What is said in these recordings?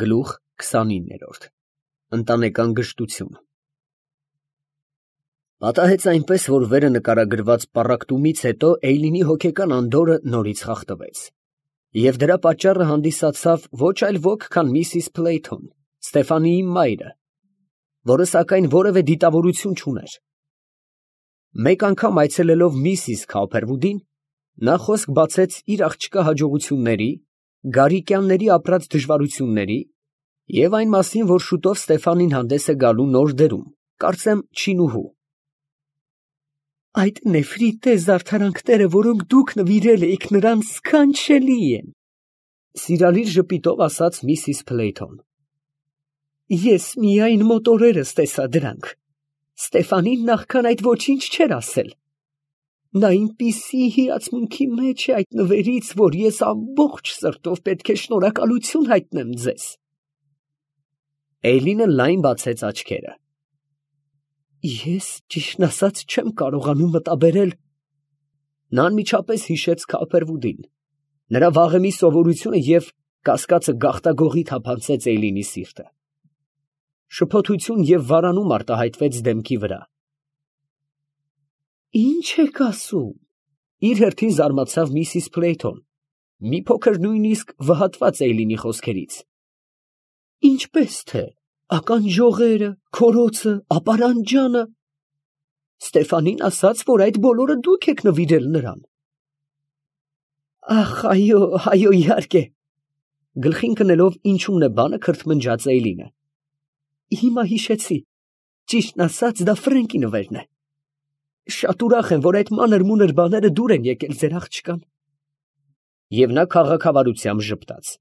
Գլուխ 29 Ընտանեկան գժտություն Պատահեց այնպես, որ վերը նկարագրված պառակտումից հետո Էյլինի հոգեկան անդորրը նորից խախտվեց, և դրա պատճառը հանդիսացավ ոչ այլ ոք, քան Միսիս Փլեյթոն, Ստեֆանիի մայրը, որը սակայն որևէ դիտավորություն չուներ։ Մեկ անգամ այցելելով Միսիս Քաուփերվուդին, նա խոսք բացեց իր աղջկա հաջողությունների, Գարիկյանների ապրած դժվարությունների և այն մասին, որ շուտով Ստեֆանին հանդես է գալու նոր դերում, կարծեմ չինուհու։ Այդ նեֆրիտե զարդարանքները, որոնք դուք նվիրել էիք նրան, սքանչելի են, սիրալիր ժպիտով ասաց Միսիս Փլեյթոն։ Ես միայն մոտ օրերս տեսա դրանք։ Ստեֆանին նախքան այդ ոչինչ չէր ասել։ Նա այնպիսի հիացմունքի մեջ է այդ նվերից, որ ես ամբողջ սրտով պետք է շնորհակալություն հայտնեմ ձեզ։ Էյլինը լայն բացեց աչքերը։ Ես ճիշտն ասած չեմ կարողանում մտաբերել։ Նա անմիջապես հիշեց Քաուփերվուդին, նրա վաղեմի սովորությունը և կասկածը գաղտագողի թափանցեց Էյլինի սիրտը։ Շփոթություն և վարանում արտահայտվեց դեմքի վրա։ Ինչ եք ասում, իր հերթին զարմացավ Միսիս Փլեյթոն, մի փոքր նույնիսկ վհատված Էյլինի խոսքերից։ Ինչպես թե, ականջողերը, քորոցը, ապարանջանը։ Ստեֆանին ասաց, որ այդ բոլորը դուք եք նվիրել նրան։ Ախ, այո, իհարկե։ Գլխին կնելով ինչումն է բանը, քրթմնջաց Էյլինը։ Հիմա հիշեցի, ճիշտն ասած, դա Ֆրենկի նվերն է։ Շատ ուրախ եմ, որ այդ մանր-մունր բաները դուր են եկել ձեր աղջկան։ Եվ նա քաղաքավարությամբ ժպտաց։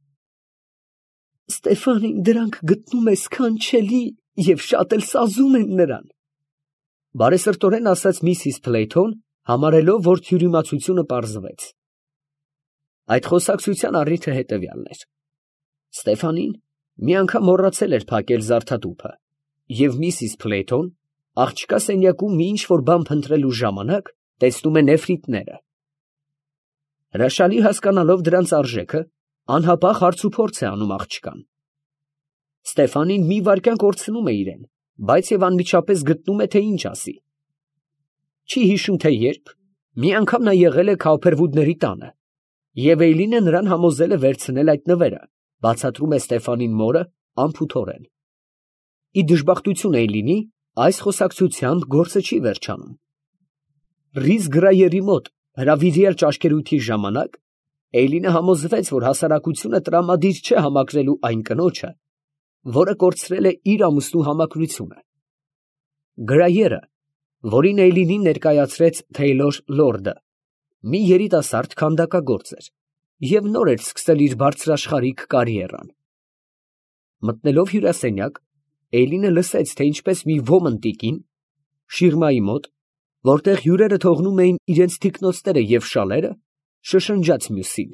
Ստեֆանին դրանք գտնում է սքանչելի և շատ էլ սազում են նրան։ Բարեսրտորեն ասաց Միսիս Փլեյթոն, համարելով, որ թյուրիմացությունը պարզվեց։ Այդ խոսակցության առիթը հետևյալն էր. Ստեֆանին մի անգամ մոռացել էր փակել զարդատուփը, և Միսիս Փլեյթոն, աղջկա սենյակում մի ինչ֊որ բան փնտրելու ժամանակ, տեսնում է նեֆրիտները։ Հրաշալի հասկանալով դրանց արժեքը, անհապաղ հարցուփորձ է անում աղջկան։ Ստեֆանին մի վայրկյան կորցնում է իրեն, բայց և անմիջապես գտնում է, թե ինչ ասի։ Չի հիշում, թե երբ, մի անգամ նա եղել է Քաուփերվուդների տանը, և Էյլինը նրան համոզել է վերցնել այդ նվերը, բացատրում է Ստեֆանին մորը անփութորեն։ Ի դժբախտություն Էյլինի, այս խոսակցությամբ գործը չի վերջանում։ Ռիզ Գրայերի մոտ հրավիրյալ ճաշկերույթի ժամանակ Էյլինը համոզվեց, որ հասարակությունը տրամադիր չէ համակրելու այն կնոջը, որը կորցրել է իր ամուսնու համակրությունը։ Գրայերը, որին Էյլինին ներկայացրեց Թեյլոր Լորդը, մի երիտասարդ քանդակագործ էր և նոր էր սկսել իր բարձրաշխարհիկ կարիերան։ Մտնելով հյուրասենյակ, Էյլինը լսեց, թե ինչպես մի ոմն տիկին, շիրմայի մոտ, որտեղ հյուրերը թողնում էին իրենց թիկնոցները և շալերը, շշնջաց մյուսին.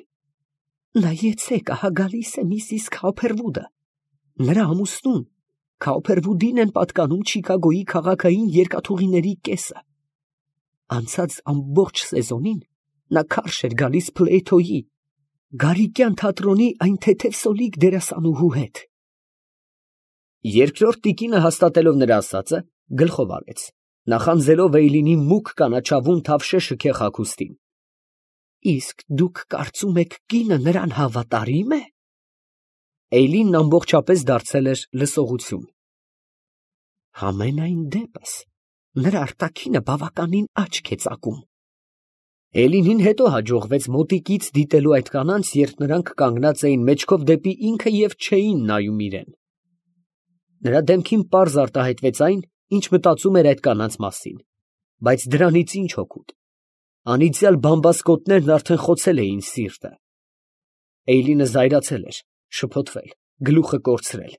Նայեցեք, ահա գալիս է Միսիս Քաուփերվուդը։ Նրա ամուսնուն Քաուփերվուդին են պատկանում Չիկագոյի քաղաքային երկաթուղիների կեսը։ Անցած ամբողջ սեզոնին նա քարշ էր գալիս Փլեյթոյի, Գարիկյան թատրոնի այն թեթև սոլիկ դերասանուհու հետ։ Երկրորդ տիկինը, հաստատելով նրա ասածը, գլխով արեց, նախանձելով Էյլինի մուգ կանաչավուն թավշե շքեղ հագուստին։ Իսկ դուք կարծում եք կինը նրան հավատարի՞մ է։ Էյլինն ամբողջապես դարձել էր լսողություն։ Համենայն դեպս, նրա արտաքինը բավականին աչք է ծակում։ Էլինին հետո հաջողվեց մոտիկից դիտելու այդ կանանց, երբ նրանք կանգնած էին մեջքով դեպի ինքը և չէին նայում իրեն։ Նրա դեմքին պարզ արտահայտվեց այն, ինչ մտածում էր այդ կանանց մասին, բայց դրանից ինչ օգուտ։ Անիծյալ բամբասկոտներն արդեն խոցել էին սիրտը։ Էյլինը զայրացել էր, շփոթվել, գլուխը կորցրել։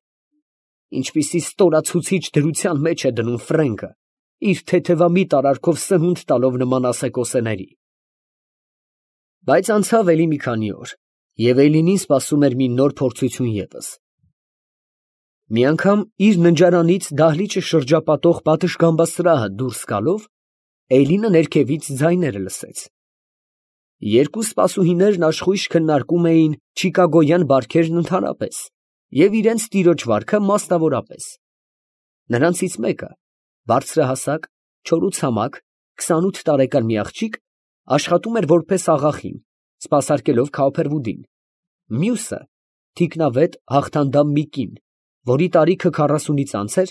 Ինչպիսի ստորացուցիչ դրության մեջ է դնում Ֆրենկը, իր թեթևամիտ արարքով սնունդ տալով նման ասեկոսեների։ Բայց անցավ էլի մի քանի օր, և Էյլինին սպասում էր մի նոր փորձություն ևս։ Մի անգամ իր ննջարանից դահլիճը շրջապատող պատշգամբասրահը դուրս գալով, Էյլինը ներքևից ձայներ լսեց։ Երկու սպասուհիներն աշխույժ քննարկում էին չիկագոյան բարքերն ընդհանրապես և իրենց տիրոջ վարքը մասնավորապես։ Նրանցից մեկը, բարձրահասակ, չորուցամակ, 28 տարեկան մի աղջիկ, աշխատում էր որպես աղախին, սպասարկելով Քավոփերվուդին, մյուսը թիկնավետ հաղթանդամ մի կին, որի տարիքը 40-ից անց էր,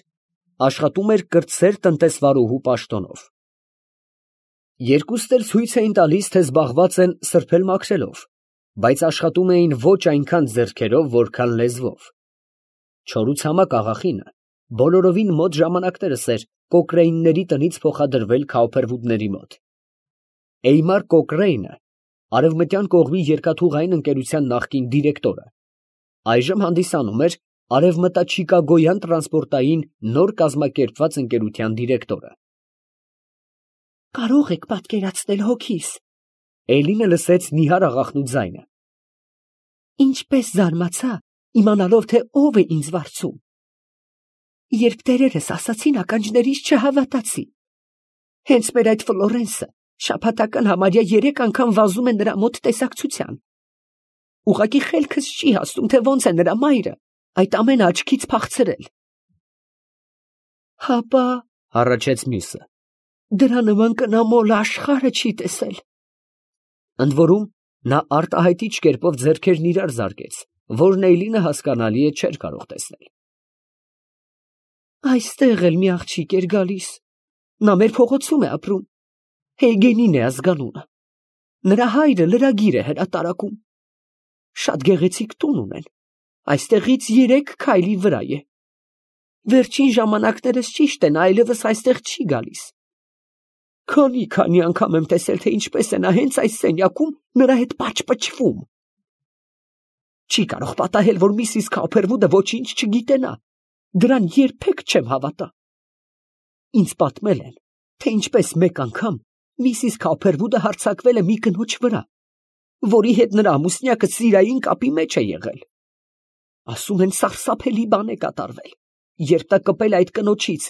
աշխատում էր կրտսեր տնտեսվարուհու պաշտոնով։ Երկուսն էլ ցույց էին տալիս, թե զբաղված են սրբել֊մաքրելով, բայց աշխատում էին ոչ այնքան ձեռքերով, որքան լեզվով։ Չորուցամակ աղախինը բոլորովին մոտ ժամանակներս էր Կոկրեյնների տնից փոխադրվել Քավոփերվուդների մոտ։ Էյմար Կոկրեյնը արևմտյան կողմի երկաթուղային ընկերության նախկին դիրեկտորը, այժմ հանդիսանում էր արևմտաչիկագոյան տրանսպորտային նոր կազմակերպված ընկերության դիրեկտորը։ Կարող եք պատկերացնել հոգիս, Էլինը լսեց նիհար աղախնու ձայնը։ Ինչպես զարմացա, իմանալով, թե ով է ինձ վարձում։ Երբ տերերս ասացին, ականջներիս չհավատացի։ Հենց մեր այդ Ֆլորենսը շաբաթական համարյա 3 անգամ վազում է նրա մոտ տեսակցության։ Ուղղակի խելքս չի հասնում, թե ոնց է նրա մայրը այդ ամենը աչքից փախցրել։ Հապա, Հառաչեց մյուսը։ դրա նման կնամոլ աշխարհը չի տեսել։ Ընդ որում, նա արտահայտիչ կերպով ձեռքերն իրար զարկեց, որն Էյլինը հասկանալի է չէր կարող տեսնել։ Այստեղ էլ մի աղջիկ էր գալիս։ Նա մեր փողոցում է ապրում։ Հեյգենին է ազգանունը։ Նրա հայրը լրագիր է հրատարակում։ Շատ գեղեցիկ տուն ունեն։ Այստեղից 3 քայլի վրա է։ Վերջին ժամանակներս ճիշտ է, նա այլևս այստեղ չի գալիս։ Քանի անգամ եմ տեսել, թե ինչպես է նա հենց այս սենյակում նրա հետ պաճպճվում։ Չի կարող պատահել, որ Միսիս Քավոփերվուդը ոչինչ չգիտենա։ Դրան երբեք չեմ հավատա։ Ինձ պատմել են, թե ինչպես մեկ անգամ Միսիս Քավոփերվուդը հարձակվել է մի կնոջ վրա, որի հետ նրա ամուսնյակը սիրային կապի մեջ է եղել։ Ասում են, սարսափելի բան է կատարվել, երբ նա կպել այդ կնոջից,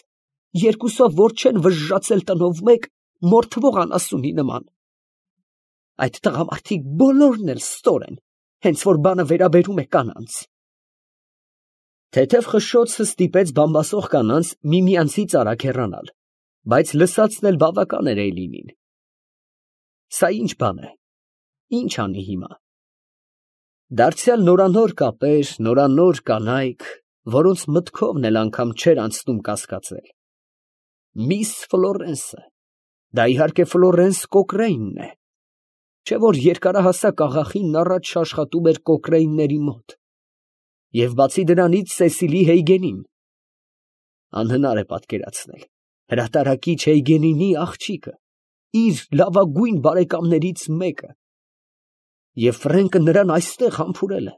երկուսով որ չեն վժժացել տնով մեկ, մորթվող անասունի նման։ Այդ տղամարդիկ բոլորն էլ ստոր են, հենց որ բանը վերաբերում է կանանց։ Թեթև խշշոցը ստիպեց բամբասող կանանց միմյանցից արագ հեռանալ, բայց լսածն էլ բավական էր Էյլինին։ Սա ինչ բան է, ինչ անի հիմա։ Դարձյալ նորանոր կապեր, նորանոր կանայք, որոնց մտքովն էլ անգամ չէր անցնում կասկածել։ Միս Ֆլորենսը, դա իհարկե Ֆլորենս Կոկրեյնն է, չէ որ երկարահասակ աղախինն առաջ աշխատում էր Կոկրեյնների մոտ, և բացի դրանից Սեսիլի Հեյգենին։ Անհնար է պատկերացնել հրատարակիչ Հեյգենինի աղջիկը, իր լավագույն բարեկամներից մեկը, և Ֆրենկը նրան այստեղ համբուրել է։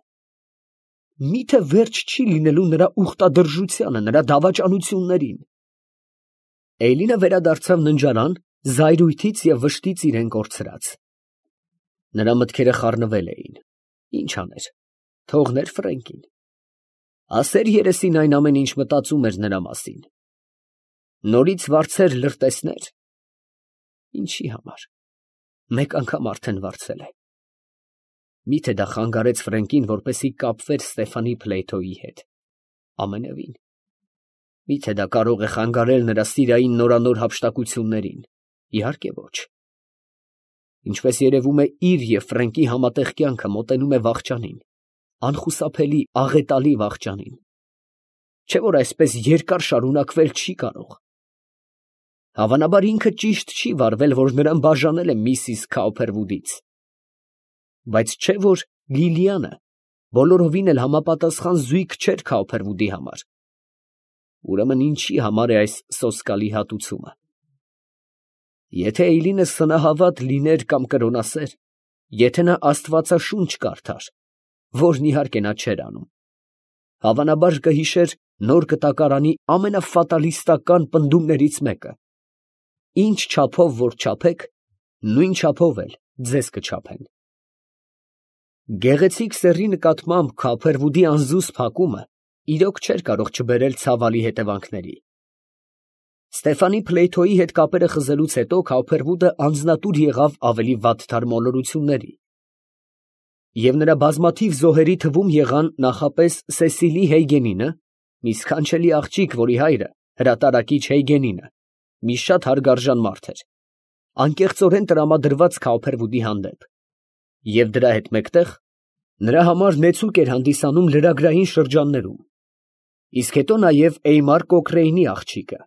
Միթե վերջ չի լինելու նրա ուխտադրժությանը, նրա դավաճանություններին։ Էյլինը վերադարձավ ննջարան, զայրույթից և վշտից իրեն կորցրած։ Նրա մտքերը խառնվել էին։ Ինչ աներ, թողներ Ֆրենկին։ Ասեր երեսին այն ամեն ինչ մտածում էր նրա մասին։ Նորից վարձեր լրտեսներ։ Ինչի համար։ Մեկ անգամ արդեն վարձել է։ Միթե դա խանգարեց Ֆրենկին, որպեսզի կապվեր Ստեֆանի Փլեյթոյի հետ։ Ամենևին։ Միթե դա կարող է խանգարել նրա սիրային նորանոր հափշտակություններին։ Իհարկե ոչ։ Ինչպես երևում է, իր և Ֆրենկի համատեղ կյանքը մոտենում է վախճանին, անխուսափելի աղետալի վախճանին։ Չէ որ այսպես երկար շարունակվել չի կարող։ Հավանաբար ինքը ճիշտ չի վարվել, որ նրան բաժանել է Միսիս Քավոփերվուդից։ Բայց չէ որ Լիլիանը բոլորովին էլ համապատասխան զույգ չէր Քավոփերվուդի համար։ Ուրեմն ինչի համար է այս սոսկալի հատուցումը։ Եթե Էյլինը սնահավատ լիներ կամ կրոնասեր, եթե նա աստվածաշունչ կարդար, որն իհարկե նա չէր անում, հավանաբար կհիշեր նոր կտակարանի ամենաֆատալիստական պնդումներից մեկը. ինչ չափով որ չափեք, նույն չափով էլ ձեզ կչափեն։ Գեղեցիկ սեռի նկատմամբ Քավոփերվուդի անզուսպ հակումը իրոք չէր կարող չբերել ցավալի հետևանքների։ Ստեֆանի Փլեյթոյի հետ կապերը խզելուց հետո Քավոփերվուդը անձնատուր եղավ ավելի վատթար մոլորությունների։ Եվ նրա բազմաթիվ զոհերի թվում եղան նախապես Սեսիլի Հեյգենինը, մի սքանչելի աղջիկ, որի հայրը հրատարակիչ Հեյգենինը, մի շատ հարգարժան մարդ էր, անկեղծորեն տրամադրված Քաուփերվուդի հանդեպ, և դրա հետ մեկտեղ նրա համար նեցուկ էր հանդիսանում լրագրային շրջաններում, իսկ հետո նաև Էյմար Կոկրեյնի աղջիկը,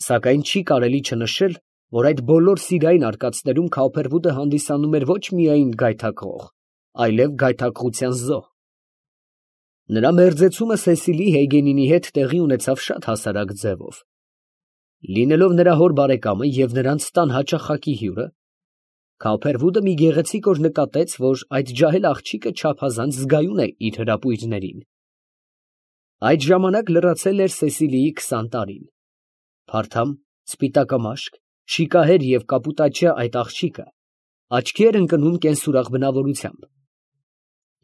սակայն չի կարելի չնշել, որ այդ բոլոր սիրային արկածներում Քաուփերվուդը հանդիսանում էր ոչ միայն գայթակղող, այլև գայթակղության զոհ։ Նրա մերձեցումը Սեսիլի Հեյգենինի հետ տեղի ունեցավ շատ հասարակ ձևով։ Լինելով նրա հոր բարեկամը և նրանց տան հաճախակի հյուրը, Քաուփերվուդը մի գեղեցիկ օր նկատեց, որ այդ ջահել աղջիկը չափազանց զգայուն է իր հրապույրներին։ Այդ ժամանակ լրացել էր Սեսիլիի 20 տարին։ Փարթամ, սպիտակամաշկ, շիկահեր և կապուտաչյա այդ աղջիկը աչքի էր ընկնում կենսուրախ բնավորությամբ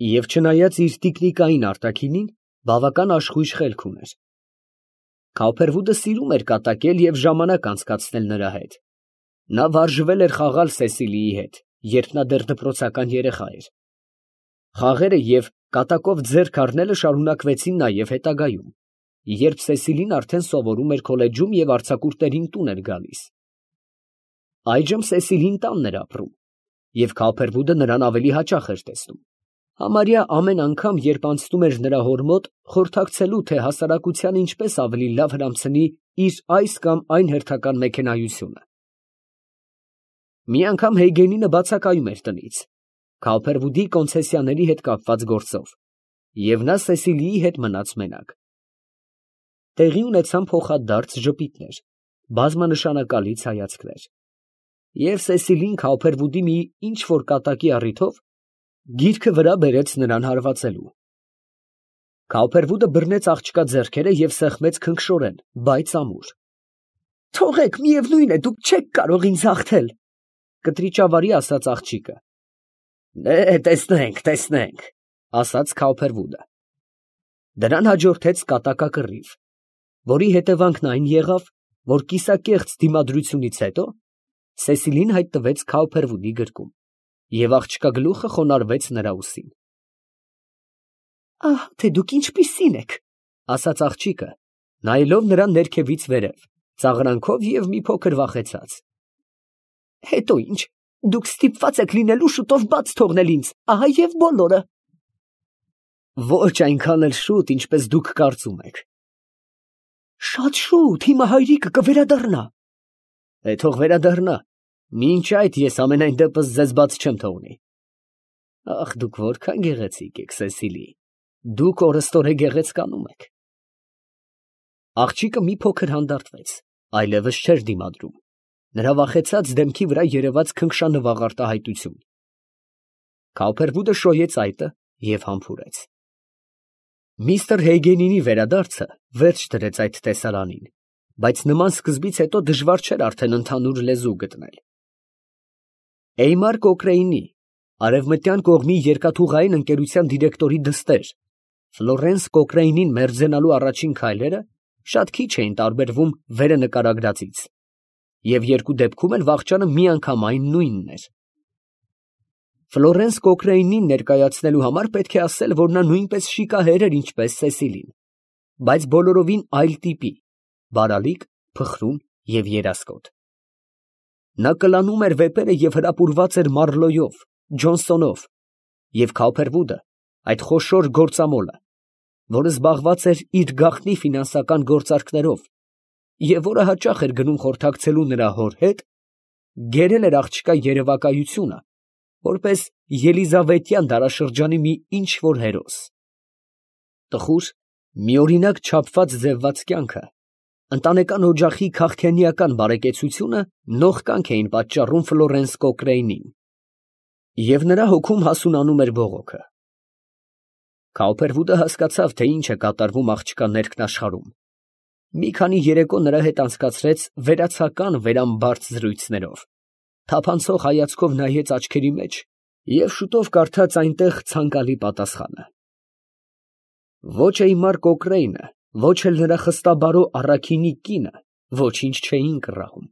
և չնայած իր տիկնիկային արտաքինին, բավական աշխույժ խելք ուներ։ Քաուփերվուդը սիրում էր կատակել և ժամանակ անցկացնել նրա հետ։ Նա վարժվել էր խաղալ Սեսիլիի հետ, երբ նա դեռ դպրոցական երեխա էր։ Խաղերը և կատակով ձեռք առնելը շարունակվեցին նաև հետագայում, երբ Սեսիլին արդեն սովորում էր քոլեջում և արձակուրդներին տուն էր գալիս։ Այժմ Սեսիլին տանն էր ապրում, և Քաուփերվուդը նրան ավելի հաճախ էր տեսնում, համարյա ամեն անգամ, երբ անցնում էր նրա հոր մոտ, խորհրդակցելու, թե հասարակությանը ինչպես ավելի լավ հրամցնի իր այս կամ այն հերթական մեքենայությունը։ Մի անգամ Հեյգենինը բացակայում էր տնից, Քաուփերվուդի կոնցեսիաների հետ կապված գործով, և նա Սեսիլիի հետ մնաց մենակ։ Տեղի ունեցան փոխադարձ ժպիտներ, բազմանշանակալի ցայացքներ, և Սեսիլին Քաուփերվուդի մի ինչ֊որ կատակի առիթով գիրքը վրա բերեց նրան հարվածելու։ Քաուփերվուդը բռնեց աղջկա ձեռքերը և սեղմեց քնքշորեն, բայց ամուր։ «Թողեք, միևնույն է, դուք չեք կարող ինձ հաղթել», կտրիճավարի ասաց աղջիկը։ Տեսնենք, տեսնենք, ասաց Քաուփերվուդը։ Դրան հաջորդեց կատակակռիվ, որի հետևանքն այն եղավ, որ կիսակեղծ դիմադրությունից հետո Սեսիլին հայտնվեց Քաուփերվուդի գրկում, և աղջկա գլուխը խոնարհվեց նրա ուսին։ «Ահա թե դուք ինչպիսին եք», ասաց աղջիկը, նայելով նրան ներքևից վերև, ծաղրանքով և մի փոքր վախեցած։ «Հետո ինչ, դուք ստիպված եք լինելու շուտով բաց թողնել ինձ, ահա և բոլորը»։ «Ոչ այնքան էլ շուտ, ինչպես դուք կարծում եք»։ «Շատ շուտ, հիմա հայրիկը կվերադառնա»։ Թող վերադառնա, մինչ այդ ես ամենայն դեպս ձեզ բաց չեմ թողնի։ Ախ, դուք որքան գեղեցիկ եք, Սեսիլի, դուք օրըստօրե գեղեցկանում եք։ Աղջիկը մի փոքր հանդարտվեց, այլևս չէր դիմադրում, նրա վախեցած դեմքի վրա երևաց քնքշանվաղ արտահայտություն։ Քաուփերվուդը շոյեց այտը և համբուրեց։ Միստր Հեյգենինի վերադարձը վերջ դրեց այդ տեսարանին, բայց նման սկզբից հետո դժվար չէր արդեն ընդհանուր լեզու գտնել։ Էյմար Կոկրեյնի, արևմտյան կողմի երկաթուղային ընկերության դիրեկտորի դստեր, Ֆլորենս Կոկրեյնին մերձենալու առաջին քայլերը շատ քիչ էին տարբերվում վերը նկարագրածից, և երկու դեպքում էլ վախճանը միանգամայն նույնն էր։ Ֆլորենս Կոկրեյնին ներկայացնելու համար պետք է ասել, որ նա նույնպես շիկահեր էր, ինչպես Սեսիլին, բայց բոլորովին այլ տիպի, բարալիկ, փխրուն և երասկոտ։ Նա կլանում էր վեպերը և հրապուրված էր Մարլոյով, Ջոնսոնով, և Քաուփերվուդը, այդ խոշոր գործամոլը, որը զբաղված էր իր գաղտնի ֆինանսական գործարքներով և որը հաճախ էր գնում խորհրդակցելու նրա հոր հետ, գերել էր աղջկա երևակայությունը, որպես ելիզավետյան դարաշրջանի մի ինչ֊որ հերոս։ Տխուր, միօրինակ չափված ձևված կյանքը, ընտանեկան օջախի քաղքենիական բարեկեցությունը նողկանք էին պատճառում Ֆլորենս Կոկրեյնին, և նրա հոգում հասունանում էր բողոքը։ Քաուփերվուդը հասկացավ, թե ինչ է կատարվում աղջկա ներքն աշխարհում։ Մի քանի երեկո նրա հետ անցկացրեց վերացական վերամբարձ զրույցներով, թափանցող հայացքով նայեց աչքերի մեջ և շուտով կարդաց այնտեղ ցանկալի պատասխանը։ Ոչ Էյմար Կոկրեյնը, ոչ էլ նրա խստաբարո առաքինի կինը ոչինչ չէին կռահում։